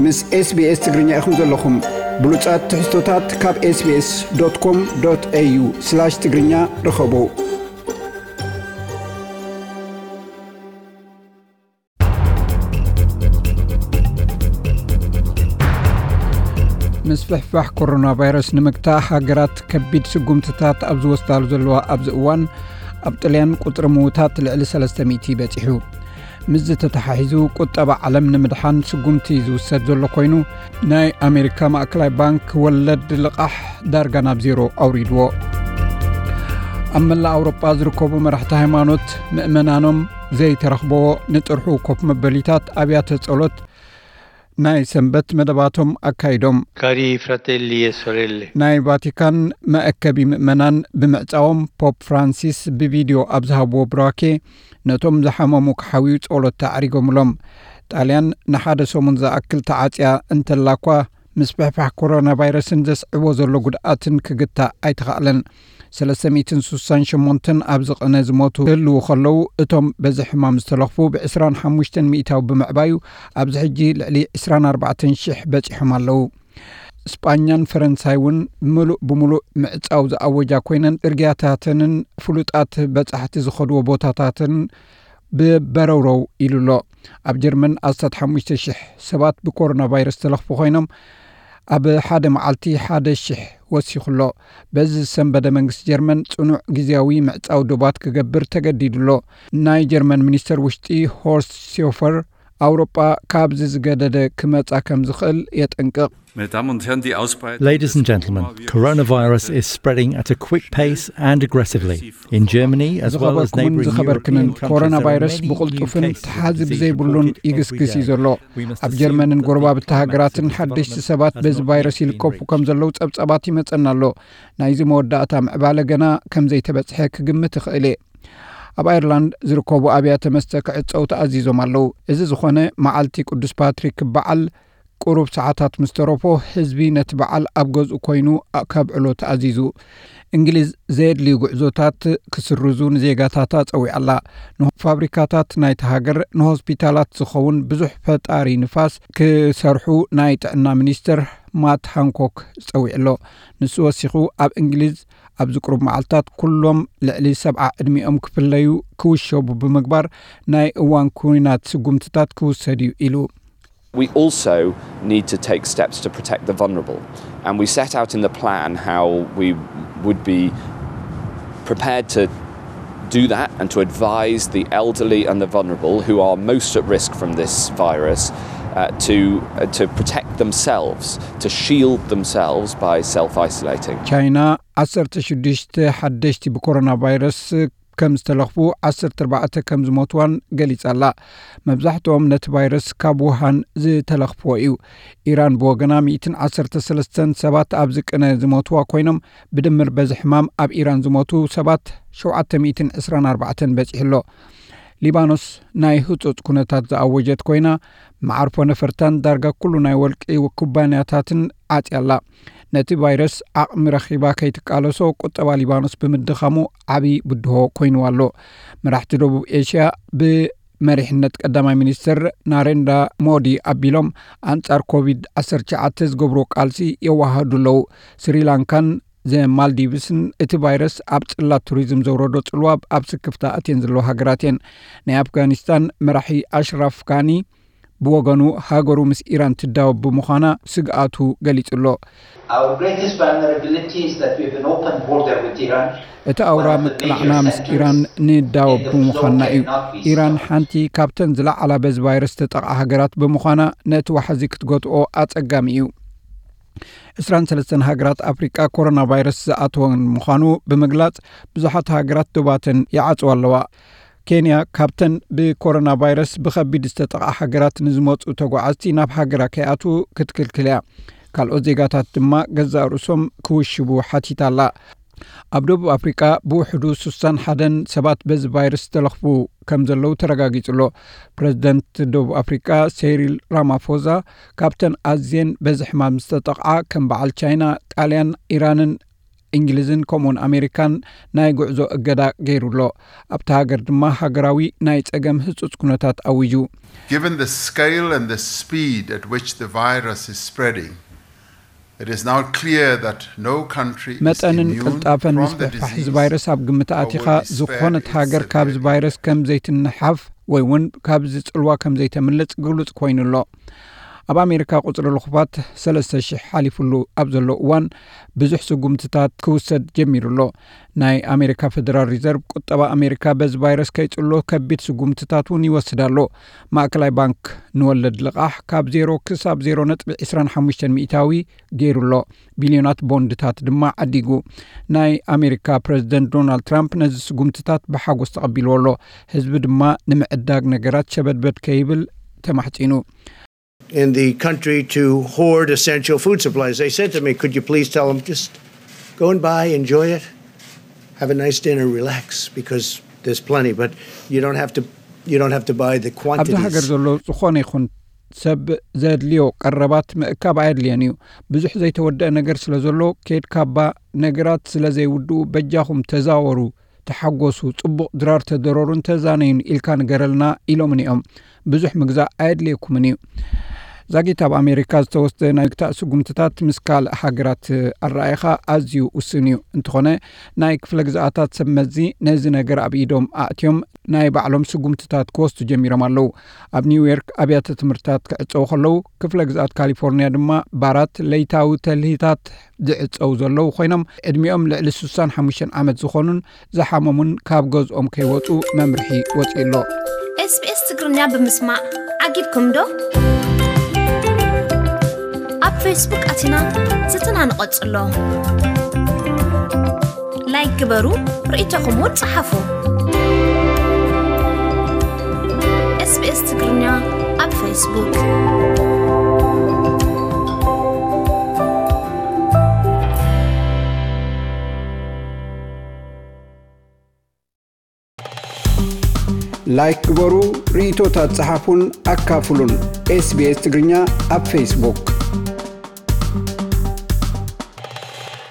ምስ SBS ትግርኛ ኢኹም ዘለኹም። ብሉጻት ትሕዝቶታት ካብ SBS.com.au/ትግርኛ ርኸቡ። ምስፍሕፋሕ ኮሮና ቫይረስ ንምግታእ ሃገራት ከቢድ ስጉምትታት ኣብ ዝወስዳሉ ዘለዋ ኣብዚ እዋን፣ ኣብ ጥልያን ቁጽሪ ምዉታት ልዕሊ ሰለስተ ሚእቲ በጺሑ። ምስዚ ተተሓሒዙ ቁጠባ ዓለም ንምድሓን ስጉምቲ ዝውሰድ ዘሎ ኮይኑ፣ ናይ ኣሜሪካ ማእከላይ ባንክ ወለድ ልቓሕ ዳርጋ ናብ ዜሮ ኣውሪድዎ። ኣብ መላእ ኣውሮጳ ዝርከቡ መራሕቲ ሃይማኖት ምእመናኖም ዘይተረኽበዎ ንጥርሑ ኮፍ መበሊታት ኣብያተ ጸሎት ናይ ሰንበት መደባቶም ኣካይዶም። Cari fratelli e sorelle, ናይ ቫቲካን መአከቢ ምእመናን ብምዕጻዎም፣ ፖፕ ፍራንሲስ ብቪድዮ ኣብ ዝሃብዎ ብራኬ፣ ነቶም ዝሓመሙ ክሓውዩ ጸሎት ኣዕሪጎምሎም። ጣልያን ንሓደ ሰሙን ዝኣክል ተዓጽያ እንተላ እኳ፣ ምስፍሕፋሕ ኮሮና ቫይረስን ዘስዕቦ ዘሎ ጉድኣትን ክግታእ ኣይተኻእለን። ሰለስተ ሚእትን ስሳን ሸሞንተን ኣብ ዝቕነ ዝሞቱ ክህልዉ ከለዉ፣ እቶም በዚ ሕማም ዝተለኽፉ ብ ዕስራን ሓሙሽተን ሚእታዊ ብምዕባዩ፣ ኣብዚ ሕጂ ልዕሊ ዕስራን ኣርባዕተን ሽሕ በጺሖም ኣለዉ። ስጳኛን ፈረንሳይ እውን ምሉእ ብምሉእ ምዕጻው ዝኣወጃ ኮይነን፣ ጽርግያታተንን ፍሉጣት በጻሕቲ ዝኸድዎ ቦታታትን ብበረውረው ኢሉ ኣሎ። ኣብ ጀርመን ኣስታት ሓሙሽተ ሽሕ ሰባት ብኮሮና ቫይረስ ተለኽፉ ኮይኖም፣ ኣብ ሓደ መዓልቲ ሓደ ሽሕ ወሲኹ ኣሎ። በዚ ዝሰንበደ መንግስቲ ጀርመን ጽኑዕ ግዝያዊ ምዕጻው ዶባት ክገብር ተገዲዱ ኣሎ። ናይ ጀርመን ሚኒስተር ውሽጢ ሆርስት ሴውፈር፣ ኣውሮጳ ካብዚ ዝገደደ ክመጻ ከም ዝኽእል የጠንቅቕ። Meine Damen und Herren, die Ausbreitung Ladies and gentlemen, coronavirus is spreading at a quick pace and aggressively. In Germany, as well as ዝኸበርኩምን neighbouring ዝኸበርክንን፣ European countries, ኮሮና there are ቫይረስ many new ብቕልጡፍን cases of ተሓዚ disease ብዘይብሉን reported every ይግስግስ እዩ day. ዘሎ። We must ኣብ assume ጀርመንን that the ጎረባብቲ climax of ሃገራትን this ሓደሽቲ development ሰባት has በዚ not ቫይረስ yet been ይልከፉ reached. ከም ዘለዉ ጸብጻባት ይመጸና ኣሎ። ናይዚ መወዳእታ ምዕባለ ገና ከም ዘይተበጽሐ ክግምት ይኽእል እየ። ኣብ ኣየርላንድ ዝርከቡ ኣብያተ መስተ ክዕጸው ተኣዚዞም ኣለዉ። እዚ ዝኾነ፣ መዓልቲ ቅዱስ ፓትሪክ በዓል ቁሩብ ሰዓታት ምስ ተረፎ፣ ህዝቢ ነቲ በዓል ኣብ ገዝኡ ኮይኑ ከብዕሎ ተኣዚዙ። እንግሊዝ ዘየድልዩ ጉዕዞታት ክስርዙ ንዜጋታታ ጸዊዓ ኣላ። ንፋብሪካታት ናይቲ ሃገር፣ ንሆስፒታላት ዝኸውን ብዙሕ ፈጣሪ ንፋስ ክሰርሑ ናይ ጥዕና ሚኒስተር ማት ሃንኮክ ጸዊዑ ኣሎ። ንሱ ወሲኹ፣ ኣብ እንግሊዝ ኣብዚ ቁሩብ መዓልታት ኩሎም ልዕሊ ሰብዓ ዕድሚኦም ክፍለዩ ክውሸቡ ብምግባር፣ ናይ እዋን ኲናት ስጉምትታት ክውሰድ እዩ ኢሉ። We also need to take steps to protect the vulnerable. And we set out in the plan how we would be prepared to do that and to advise the elderly and the vulnerable who are most at risk from this virus uh, to, uh, to protect themselves, to shield themselves by self isolating. ቻይና ዓሰርተ ሽዱሽተ ሓደሽቲ ብኮሮና ቫይረስ ከም ዝተለኽፉ፣ ዓሰርተ ኣርባዕተ ከም ዝሞትዋን ገሊጻ ኣላ። መብዛሕትኦም ነቲ ቫይረስ ካብ ውሃን ዝተለኽፍዎ እዩ። ኢራን ብወገና፣ ሚእትን ዓሰርተ ሰለስተን ሰባት ኣብዚ ቅነ ዝሞትዋ ኮይኖም፣ ብድምር በዚ ሕማም ኣብ ኢራን ዝሞቱ ሰባት ሸውዓተ ሚእትን ዕስራን ኣርባዕተን በጺሑ ኣሎ። ሊባኖስ ናይ ህጹጽ ኩነታት ዝኣወጀት ኮይና፣ መዓርፎ ነፈርታን ዳርጋ ኩሉ ናይ ወርቂ ኩባንያታትን ዓጽያ ኣላ። ነቲ ቫይረስ ዓቕሚ ረኺባ ከይትቃለሶ ቁጠባ ሊባኖስ ብምድኻሙ ዓቢ ብድሆ ኮይንዋ ኣሎ። መራሕቲ ደቡብ ኤሽያ ብመሪሕነት ቀዳማይ ሚኒስትር ናሬንዳ ሞዲ ኣቢሎም ኣንጻር ኮቪድ ዓሰርተ ትሽዓተ ዝገብርዎ ቃልሲ የወሃህዱ ኣለዉ። ስሪላንካን ዘማልዲቭስን እቲ ቫይረስ ኣብ ጽላት ቱሪዝም ዘውረዶ ጽልዋ ኣብ ስክፍታ ኣትየን ዘለዋ ሃገራት እየን። ናይ ኣፍጋኒስታን መራሒ ኣሽራፍ ጋኒ ብወገኑ፣ ሃገሩ ምስ ኢራን ትዳወብ ብምዃና ስግኣቱ ገሊጹ ኣሎ። Our greatest vulnerability is that we have an open border with Iran. እቲ ኣውራ ምቅላዕና ምስ ኢራን ንዳወብ ብምዃንና እዩ። ኢራን ሓንቲ ካብተን ዝለዓላ በዚ ቫይረስ ዝተጠቕዓ ሃገራት ብምዃና፣ ነቲ ዋሕዚ ክትገትኦ ኣጸጋሚ እዩ። ዕስራን ሰለስተን ሃገራት ኣፍሪቃ ኮሮና ቫይረስ ዝኣተወን ምዃኑ ብምግላጽ፣ ብዙሓት ሃገራት ዶባተን ይዓጽዋ ኣለዋ። ኬንያ ካብተን ብኮሮና ቫይረስ ብኸቢድ ዝተጠቕዓ ሃገራት ንዝመጹ ተጓዓዝቲ ናብ ሃገራ ከይኣትዉ ክትክልክል እያ። ካልኦት ዜጋታት ድማ ገዛእ ርእሶም ክውሽቡ ሓቲታ ኣላ። ኣብ ደቡብ ኣፍሪቃ ብውሕዱ ስሳን ሓደን ሰባት በዚ ቫይረስ ዝተለኽፉ ከም ዘለዉ ተረጋጊጹ ኣሎ። ፕረዚደንት ደቡብ ኣፍሪቃ ሴሪል ራማፎዛ፣ ካብተን ኣዝየን በዚ ሕማም ዝተጠቕዓ ከም በዓል ቻይና፣ ጣልያን፣ ኢራንን እንግሊዝን ከምኡውን ኣሜሪካን ናይ ጉዕዞ እገዳ ገይሩ ኣሎ። ኣብታ ሃገር ድማ ሃገራዊ ናይ ጸገም ህጹጽ ኩነታት ኣዊጁ። Given the scale and the speed at which the virus is spreading, it is now clear that no country is መጠንን immune ቅልጣፈን from the ምስፍሕፋሕ እዚ disease. ቫይረስ ኣብ ግምት ኣቲኻ ዝኾነት ሃገር ካብዚ ቫይረስ ከም ዘይትንሓፍ ወይ እውን ካብዚ ጽልዋ ከም ዘይተምልጥ ግሉጽ ኮይኑ ኣሎ። ኣብ ኣሜሪካ ቁጽሪ ልኹፋት ሰለስተ ሽሕ ሓሊፉሉ ኣብ ዘሎ እዋን ብዙሕ ስጉምትታት ክውሰድ ጀሚሩ ኣሎ። ናይ ኣሜሪካ ፌደራል ሪዘርቭ ቁጠባ ኣሜሪካ በዚ ቫይረስ ከይጽሎ ከቢድ ስጉምትታት እውን ይወስድ ኣሎ። ማእከላይ ባንክ ንወለድ ልቓሕ ካብ ዜሮ ክሳብ ዜሮ ነጥቢ ዕስራን ሓሙሽተን ሚእታዊ ገይሩ ኣሎ። ቢልዮናት ቦንድታት ድማ ዓዲጉ። ናይ ኣሜሪካ ፕረዚደንት ዶናልድ ትራምፕ ነዚ ስጉምትታት ብሓጎስ ተቐቢልዎ ኣሎ። ህዝቢ ድማ ንምዕዳግ ነገራት ሸበድበድ ከይብል ተማሕጺኑ። In the country to hoard essential food supplies. They said to me, "Could you please tell them just go and buy, enjoy it, have a nice dinner, relax, because there's plenty, but you don't have to you don't have to buy the ኣብዚ ሃገር quantities." ዘሎ ዝኾነ ይኹን ሰብ ዘድልዮ ቀረባት ምእካብ ኣየድልየን እዩ። ብዙሕ ዘይተወደአ ነገር ስለ ዘሎ ከይድካባ ነገራት ስለ ዘይውድኡ በጃኹም ተዛወሩ፣ ተሓጎሱ፣ ጽቡቕ ድራር ተደረሩን ተዛነዩን ኢልካ ንገረልና ኢሎምኒ እዮም። ብዙሕ ምግዛእ ኣየድልየኩምን እዩ። ዛጊት ኣብ ኣሜሪካ ዝተወስደ ናይ ምግታእ ስጉምትታት ምስ ካልእ ሃገራት ኣረኣይኻ ኣዝዩ ውስን እዩ። እንተኾነ ናይ ክፍለ ግዝኣታት ሰብ መዚ ነዚ ነገር ኣብ ኢዶም ኣእትዮም ናይ ባዕሎም ስጉምትታት ክወስዱ ጀሚሮም ኣለዉ። ኣብ ኒውዮርክ ኣብያተ ትምህርትታት ክዕጸው ከለዉ ክፍለ ግዝኣት ካሊፎርኒያ ድማ ባራት ለይታዊ ተልሂታት ዝዕጸው ዘለዉ ኮይኖም ዕድሚኦም ልዕሊ ስሳን ሓሙሽተን ዓመት ዝኾኑን ዝሓመሙን ካብ ገዝኦም ከይወጹ መምርሒ ወጺኡ ኣሎ። SBS ትግርኛ ብምስማዕ ዓጊብኩም ዶ? ኣብ ፌስቡክ ኣቲና ዝትና ንቐጽሎ። ላይክ ግበሩ፣ ርእይቶኹም እውን ጸሓፉ። SBS ትግርኛ ኣብ ፌስቡክ። ላይክ ግበሩ፣ ርእይቶታት ጸሓፉን ኣካፍሉን። SBS ትግርኛ ኣብ ፌስቡክ።